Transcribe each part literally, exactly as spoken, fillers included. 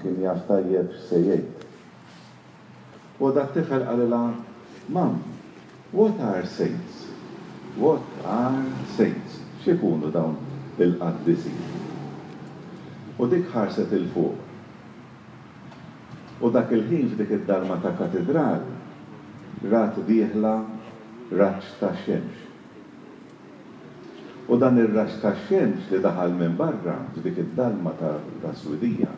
kien jaf tajjeb x'se jgħid. U dat-tifel qalilha, "Mum, what are saints? What are saints?" X'ikunu dawn il-qaddisin? U dik ħarset 'il fuq. U dak il-ħin f'dik id-dalma ta' katedral rat dieħla raġġ ta' xemx. U dan ir-raġġ ta' xemx li daħal minn barra f'dik id-dalma ta' swidija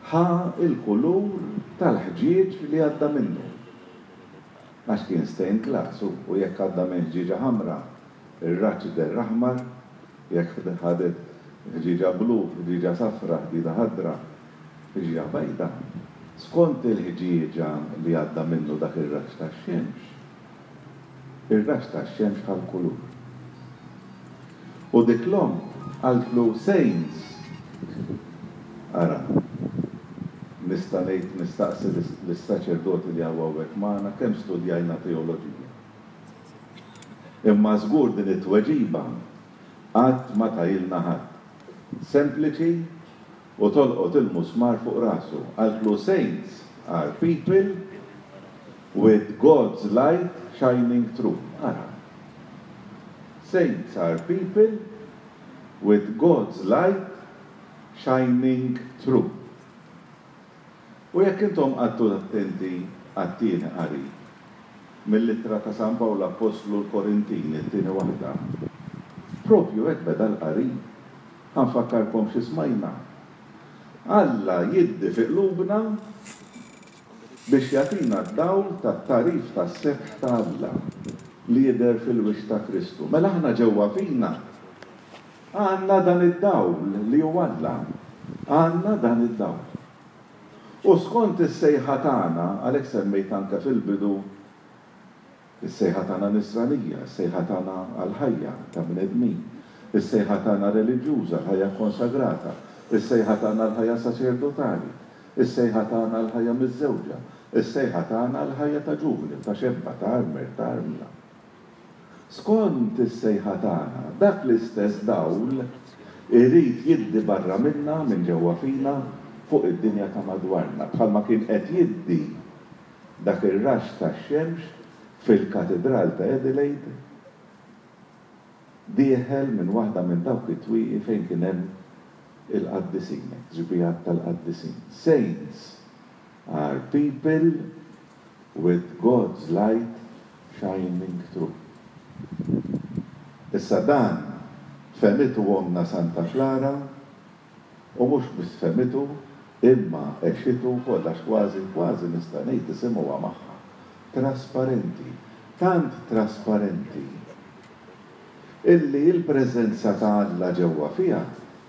ħa il-kulur tal-ħġieġ li għadda minnu. Għax kien stained glass u jekk għadda minn ħġieġa ħamra, ir-raġġ deher aħmar, jekk ħadet ħġieġa blu, ħġieġa safra, ħġieġa ħadra, ħġieġa bajda. Skont il-ħġieġa li għadda minnu dak ir-raġġ tax-xemx, ir-raġġ tax-xemx ħa l-kulur. U dik l-omm qaltlu, "Saints." Ara, nista' ngħid, nistaqsi lis-saċerdoti li hawn hawnhekk magħna kemm studjajna teoloġija. Imma żgur din it-tweġiba qatt ma tahielna ħadd. Sempliċi u tolqot il-musmar fuq rasu. Qaltlu, "Saints are people with God's light shining through." Ara. Saints are people with God's light shining through. U jekk intom qgħadtu attenti għat-tieni qari mill-ittra ta' San Pawl Apostlu lill-Korintin, it-tieni waħda, propju hekk beda l-qari. Ħa nfakkarkom xi smajna. Alla jiddi fi qlubna biex jagħtina d-dawl tat-tagħrif tas-sebħ ta' Alla li jidher fil-wiċċ ta' Kristu. Mela aħna ġewwa fina għandna dan id-dawl li hu Alla. Għandna dan id-dawl. U skont is-sejħa tagħna, għalhekk semmejt anke fil-bidu is-sejħa tagħna nisranija, is-sejħa tagħna għal-ħajja ta' bnedmin, is-sejħa tagħna reliġjuża, l-ħajja konsagrata, is-sejħa tagħna l-ħajja saċerdotali, is-sejħa tagħna l-ħajja miżżewġa, is-sejħa tagħna l-ħajja ta' ġuvni, ta' xebba, ta' armel, ta' armla. Skont is-sejħa tagħna, dak l-istess dawl irid jiddi barra minna, minn ġewwa fina, fuq id-dinja ta' madwarna, bħalma kien qed jiddi dak ir-raġġ tax-xemx fil-katedral ta' Adelaide, dieħel minn waħda minn dawk it-twieqi fejn kien hemm il-qaddisin, xbihat tal-qaddisin. Saints are people with God's light shining through. Issa dan fehmitu ommna Santa Klara u mhux biss fehmitu, imma għexitu wkoll, għax kważi kważi nista' ngħid isimgħuha magħha. Trasparenti, tant trasparenti illi il-preżenza ta' Alla ġewwa fiha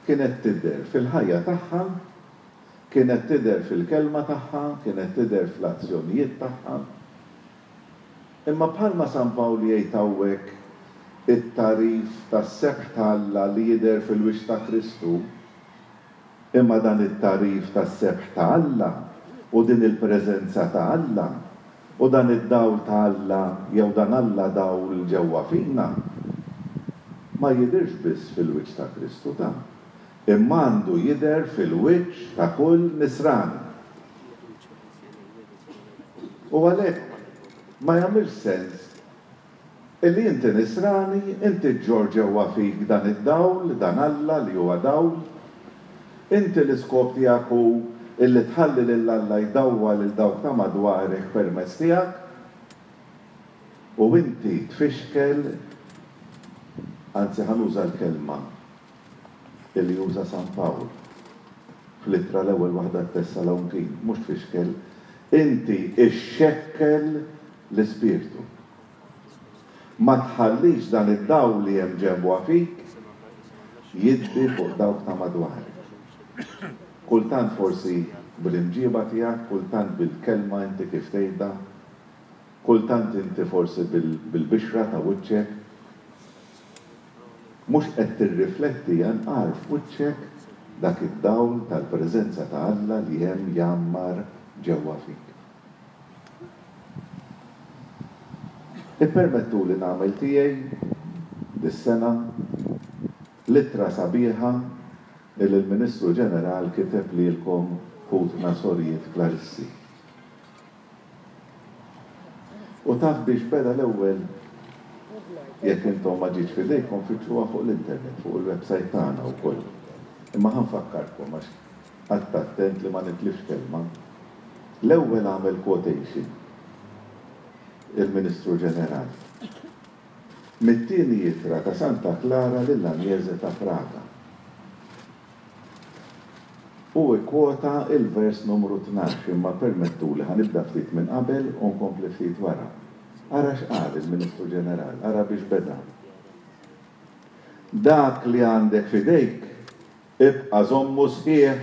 kienet tidher fil-ħajja tagħha, kienet tidher fil-kelma tagħha, kienet tidher fl-azzjonijiet tagħha. Imma bħalma San Pawl jgħid hawnhekk it-tagħrif tas-sebħ ta' Alla li jidher fil-wiċċ ta' Kristu, imma dan it-tagħrif tas-sebħ ta' Alla u din il-preżenza ta' Alla u dan id-dawl ta' Alla jew dan Alla dawl ġewwa fina ma jidhirx biss fil-wiċċ ta' Kristu ta' imma għandu jidher fil-wiċċ ta' kull nisrani. U għalhekk ma jagħmilx sens illi inti nisrani, inti ġġorr ġewwa fik dan id-dawl, dan Alla li huwa dawl, inti l-iskop tiegħek hu illi tħalli lil Alla jdawwal lil dawk ta' madwarek permezz tiegħek, u inti tfixkel, anzi ħa nuża l-kelma illi juża San Pawl fl-ittra l-ewwel waħda Tessalonikin, mhux tfixkel, inti ixxekkel l-Ispirtu. Ma tħallix dan id-dawl li hemm ġewwa fik jiddi fuq dawk ta' madwarek. Kultant forsi bil-imġiba tiegħek, kultant bil-kelma inti kif tgħidha, kultant inti forsi bil-bixra ta' wiċċek, mhux qed tirrifletti anqar f'wiċċek dak id-dawl tal-preżenza ta' Alla li hemm jgħammar ġewwa fik. Ippermettu li nagħmel tiegħi dis-sena l-ittra sabiħa Illi l-Ministru Ġeneral kiteb lilkom ħutna sorijiet Klarissi. U taf biex beda l-ewwel? Jekk intom ma ġietx f'idejkom fittxuha fuq l-internet, fuq il-website tagħna wkoll. Imma ħa nfakkarkom għax qgħadt attent li ma nitlifx kelma. L-ewwel għamel quotation il-Ministru Ġeneral mit-tieni ittra ta' Santa Klara lil Agnese ta' Praga. U kkwota il-vers numru tnax, imma permettuli ħa nibda ftit minn qabel u nkompli ftit wara. Ara x'qal il-Ministru Ġeneral, ara biex beda. Dak li għandek f'idejk, ibqa' żommu sħiħ.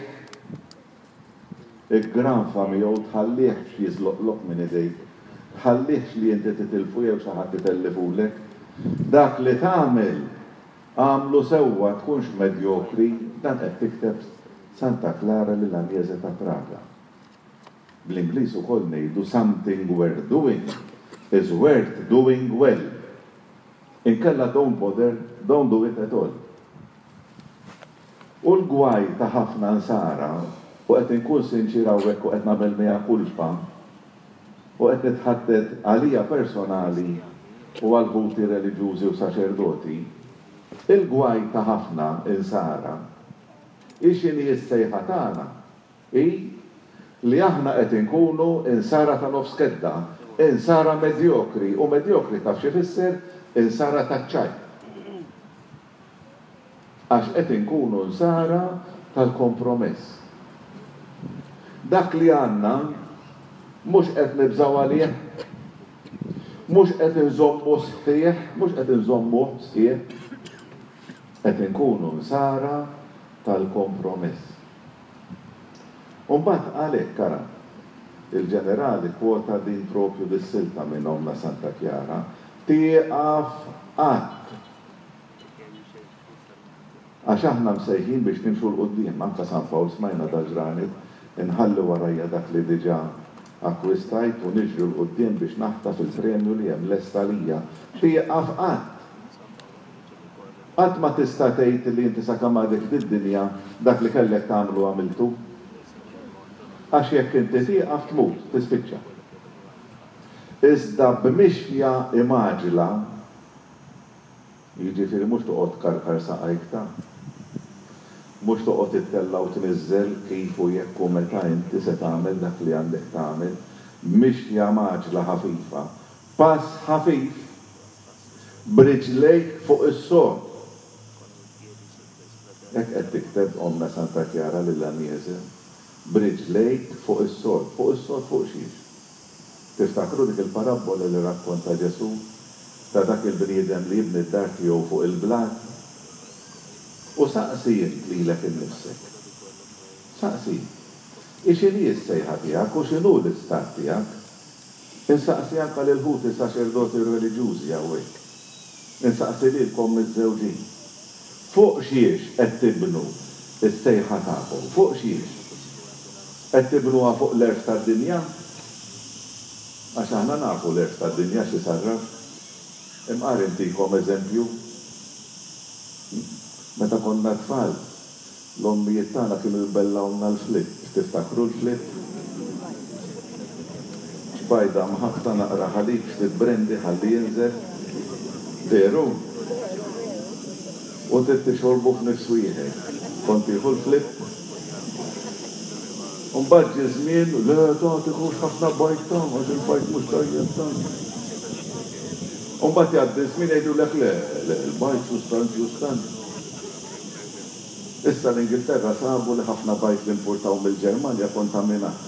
Iggranfa miegħu, tħallihx jiżloqlok minn idejk. Tħallihx li inti titilfu jew xi ħadd itellifulek. Dak li tagħmel, agħmlu sewwa, tkunx medjokri, dan qed tikteb Santa Klara lil Agnese ta' Praga. Bl-Ingliż ukoll ngħidu something worth doing is worth doing well. Inkella don't bother, don't do it at all. U l-gwaj ta' ħafna nsara, u qed inkun sinċier hawnhekk u qed nagħmel mea culpa, u qed nitħaddet għalija personali u għal ħuti reliġjużi u saċerdoti, il-gwaj ta' ħafna insara, hi x'inhi s-sejħa tagħna, hi li aħna qed inkunu insara ta' nofs kedda, insara medjokri, u medjokri taf xi fisser? Insara taċ-ċajt. Għax qed inkunu insara tal-kompromess. Dak li għandna mhux qed nibżgħu għalih, mhux qed inżommu sħiħ, mhux qed inżommu sħiħ, qed inkunu insara tal-kompromess. U mbagħad għalhekk ara, il-ġenerali kwota din propju dis-silta minn Ommna Santa Kjara, tieqaf qatt. Għax aħna msejħin biex nimxu 'l quddiem, anke San Pawl smajna dal-ġranet, inħalli warajja dak li diġà akkwistajt u niġri 'l quddiem biex naħtaf il-premju li hemm lest għalija. Tieqaf qatt. Qatt ma tista' tgħid li inti sakemm għadek fid-dinja dak li kellek tagħmlu għamiltu. Għax jekk inti tieqaf tmut, tispiċċa. Iżda b'mixja imgħaġla, jiġifieri mhux toqgħod tkarkar saqajk ta', mhux toqgħod ittella' u tniżżel kif u jekk u meta inti se tagħmel dak li għandek tagħmel, b'mixja mgħaġla ħafifa, pass ħafif, b'riġlejk fuq is-sod. Hekk qed tikteb Ommna Santa Kjara lil Agnese, b'riġlejk fuq is-sod. Fuq is-sod fuq xiex? Tiftakru dik il-parabbola li rakkonta Ġesù ta' dak il-bniedem li jibni d-dar tiegħu fuq il-blat? U saqsi int lilek innifsek. Saqsi. X'inhi s-sejħa tiegħek u x'inhu l-istat tiegħek? Insaqsi anke lil ħuti saċerdoti u reliġjużi hawnhekk. Insaqsi lilkom miżżewġin. Fuq xiex qed tibnu s-sejħa tagħkom? Fuq xiex? Qed tibnuha fuq l-għerf tad-dinja? Għax aħna nafu l-għerf tad-dinja xi sarraf. Imqar intikom eżempju. Meta konna tfal, l-ommijiet tagħna kienu jbellgħulna l-flip. Tiftakru l-flip? Bajda mħabbta naqra ħalib ftit brandy ħalli jinżel. Veru? U trid tixorbu f'nifs wieħed. Kont tieħu l-flip? U mbagħad ġie żmien, le ta' tieħux ħafna bajd ta' għax il-bajd mhux tajjeb ta'. U mbagħad jgħaddi żmien jgħidulek le, le, il-bajd sustanz ġustant. Issa l-Ingilterra sabu li ħafna bajd li importaw mill-Ġermanja kontaminat.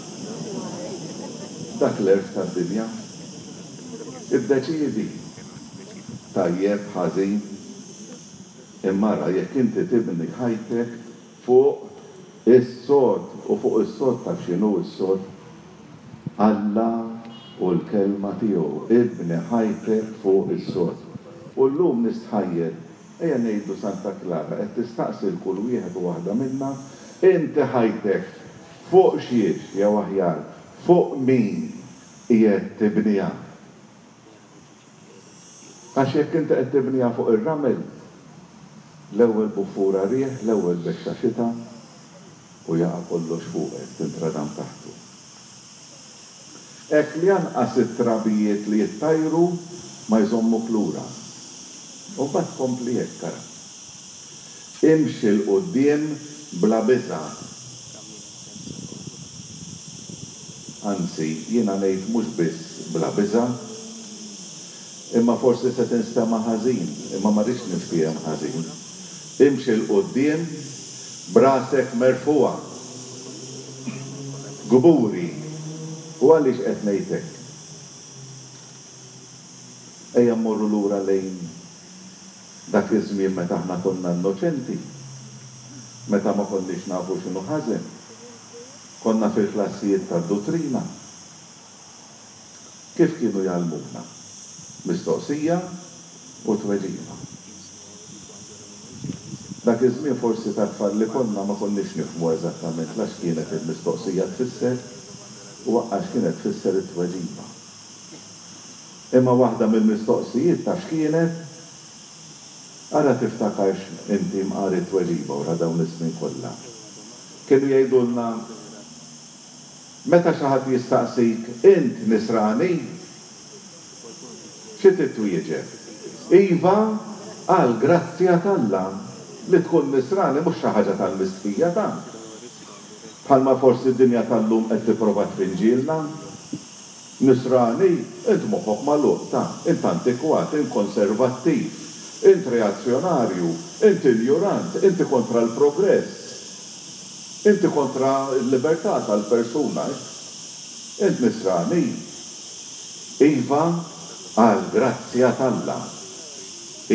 Dak l-għerf tad-dinja. Iddeċiedi. Tajjeb, ħażin. Imma ara jekk inti tibni ħajtek fuq is-sod, u fuq is-sod taf x'inhu s-sod? Alla u l-kelma tiegħu. Ibni ħajtek fuq is-sod. U llum nistħajjel, ejja ngħidu Santa Klara qed tistaqsi l kull wieħed u waħda minna, inti ħajtek fuq xiex, jew aħjar, fuq min qiegħed tibniha? Għax jekk inti qed tibniha fuq ir-ramel, L-ewwel buffura riħ, l-ewwel bexxa xita u jaqa' kollox fuqek, tintradam taħtu. Hekk li anqas it-trabijiet li jittajru ma jżommuk lura. U mbagħad kompli hekk, ara. Imxi 'l quddiem bla biża'. Anzi, jiena ngħid mhux biss bla biża', imma forsi se tinstema' ħażin, imma ma rridx niftiehem ħażin. Imxi 'l quddiem b'rasek merfugħa. Kburi. U għaliex qed ngħid hekk? Ejja mmorru lura lejn dak iż-żmien meta aħna konna innoċenti, meta ma konniex nafu x'inhu ħażen. Konna fil-klassijiet tad-duttrina. Kif kienu jgħallmuna? Mistoqsija u tweġiba. Dak iż-żmien forsi ta' tfal li konna ma konniex nifhmu eżattament la x'kienet il-mistoqsija tfisser u anqas x'kienet tfisser it-tweġiba. Imma waħda mill-mistoqsijiet taf x'kienet? Ara tiftakarx inti mqar it-tweġiba wara dawn is-snin kollha. Kienu jgħidulna, meta xi ħadd jistaqsik, int Nisrani? Xi trid twieġeb? Iva, għall-grazzja t'Alla. Li tkun Nisrani mhux xi ħaġa tal-mistħija ta'. Bħalma forsi d-dinja tal-lum qed tipprova tpinġilna. Nisrani, int moħħok magħluq ta', int antikwat, int konservattiv, int reazzjonarju, int injurant, inti kontra l-progress, inti kontra l-libertà tal-persuna. Int Nisrani? Iva, għall-grazzja t'Alla.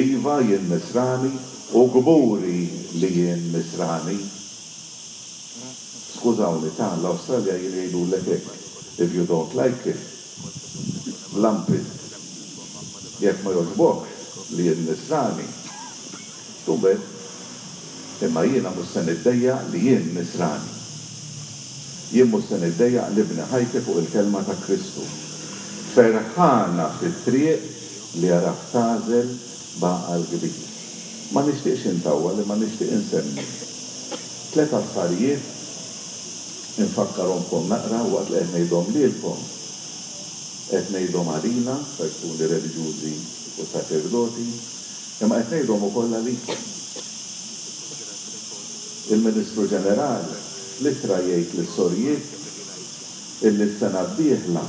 Iva, jien Nisrani u kburi li jien Nisrani. Skużawni ta', l-Awstralja jgħidulek hekk, if you don't like it, lump it. Jekk ma jogħġbokx li jien Nisrani, too bad. Imma jiena mhux se niddejjaq li jien Nisrani. Jien mhux se niddejjaq nibni ħajti fuq il-kelma ta' Kristu. Ferħana fit-triq li għaraft tagħżel b'għaqal kbir. Ma nixtieqx intawwal imma nixtieq insemmi tliet affarijiet infakkarhomkom naqra waqt li qed ngħidhom lilkom. Qed ngħidhom għalina, persuni reliġjużi u saċerdoti, imma qed ngħidhom ukoll għalikom. Il-Ministru Ġeneral fl-ittra jgħid lis-sorijiet illi s-sena d-dieħla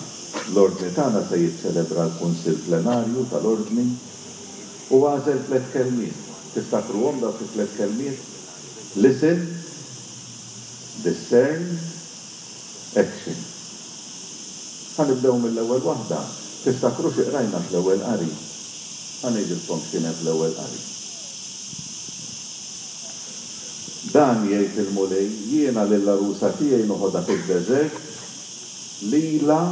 l-Ordni tagħna se jiċċelebra l-Kunsill Plenarju tal-Ordni u għażel tliet kelmiet. Tiftakruhom dawk it-tliet kelmiet? Listen, discern, action. Ħa nibdew mill-ewwel waħda. Tiftakru xi qrajna fl-ewwel qari? Ħa ngħidilkom x'kien hemm fl-ewwel qari. Dan jgħid il-Mulej, jiena lill-għarusa tiegħi noħodha fid-deżert, lilha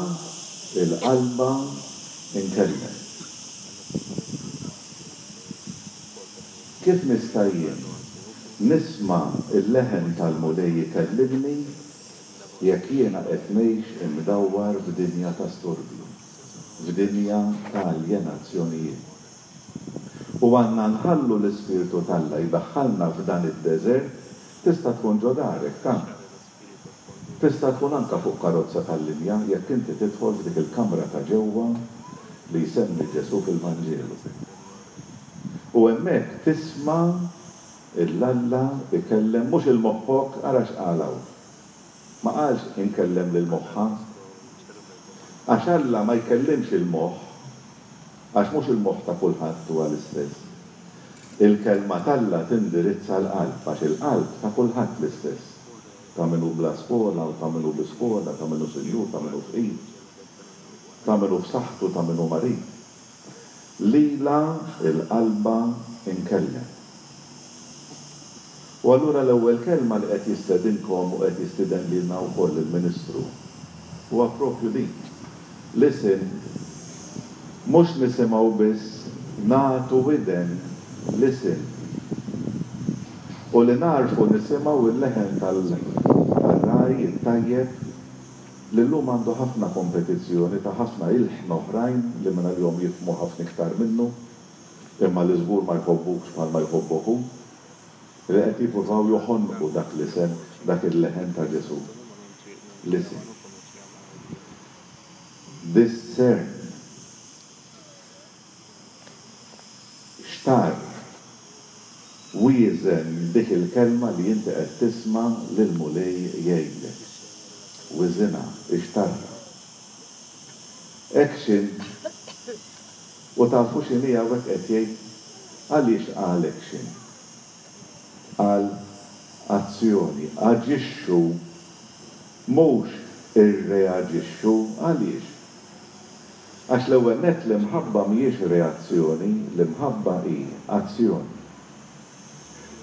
il-qalba inkellem. Kif nista' jien nisma' l-leħen tal-Mulej ikellimni jekk jiena qed ngħix imdawwar f'dinja ta' storbju, f'dinja ta' aljenazzjonijiet? U għandna nħallu l-Ispirtu t'Alla jdaħħalna f'dan id-deżert, tista' tkun ġo darek, ta'. Tista' tkun anke fuq karozza tal-linja jekk inti tidħol f'dik il-kamra ta' ġewwa li jsemmi Ġesù fil-Vanġelu. U hemmhekk tisma' 'l Alla ikellem mhux 'il moħħok, ara x'qal hawn. Ma qalx inkellem lil moħħha. Għax Alla ma jkellimx il-moħħ, għax mhux il-moħħ ta' kulħadd huwa l-istess. Il-kelma t'Alla tindirizza l-qalb, għax il-qalb ta' kulħadd l-istess. Ta' min hu bla skola u ta' min hu bi skola, ta' min hu sinjur, ta' min hu fqir, ta' min hu f'saħħtu, ta' min hu marid. Lilha l-qalba nkellem. U allura l-ewwel kelma li qed jistedinkom u qed jistieden lilna wkoll il-Ministru huwa propju din. Listen, mhux nisimgħu biss, nagħtu widen, listen. U li nagħrfu nisimgħu l-leħen tal-ragħaj it-tajjeb li llum għandu ħafna kompetizzjoni ta' ħafna ilħna oħrajn li mingħalihom jifhmu ħafna iktar minnu, imma li żgur ma jħobbukx bħalma jħobbok hu. li qed jippruvaw joħonqu dak l-isem, dak il-leħen ta' Ġesù. Listen. Discern. Xtarr. Wieżen dik il-kelma li inti qed tisma' lill-Mulej jgħidlek. Wiżinha, ixtarrha. Action. U tafu x'inhi hawnhekk qed jgħid? Għaliex qal action? Qal azzjoni. Aġixxu, mhux irreaġixxu. Għaliex? Għax l-ewwel nett l-imħabba mhijiex reazzjoni, l-imħabba hi azzjoni.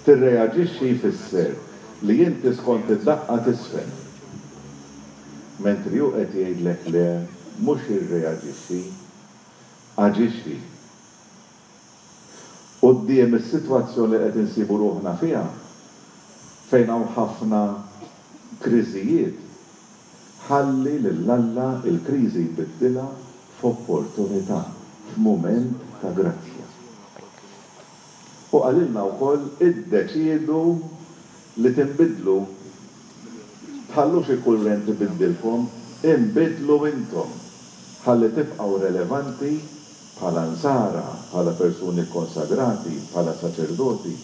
Tirreaġixxi jfisser li inti skont id-daqqa tiżfen. Mentri hu qed jgħidlek le, mhux irreaġixxi, aġixxi. Quddiem is-sitwazzjoni li qed insibu ruħna fiha, fejn hawn ħafna kriżijiet, ħalli lil Alla l-kriżi jbiddilha f'opportunità, f'mument ta' grazzja. U qalilna wkoll iddeċiedu li tinbidlu. Tħallux il-kurrent ibiddilkom, inbidlu intom ħalli tibqgħu relevanti bħala Nsara, bħala persuni kkonsagrati, bħala saċerdoti,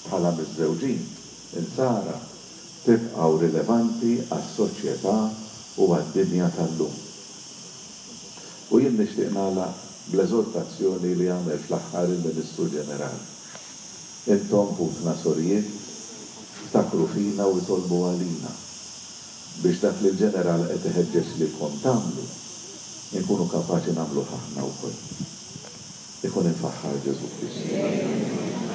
bħala miżżewġin Insara, tibqgħu rilevanti għas-soċjetà u għad-dinja tal-lum. U jien nixtieq nagħlaq bl-eżortazzjoni li għamel fl-aħħar il-Ministru Ġenerali. Intom, ħutna sorijiet, ftakru fina u itolbu għalina biex dak li l-Ġeneral qed iħeġġeġ lilkom tagħmlu, inkunu kapaċi nagħmluh aħna wkoll. Ikun imfaħħar Ġesù Kristu.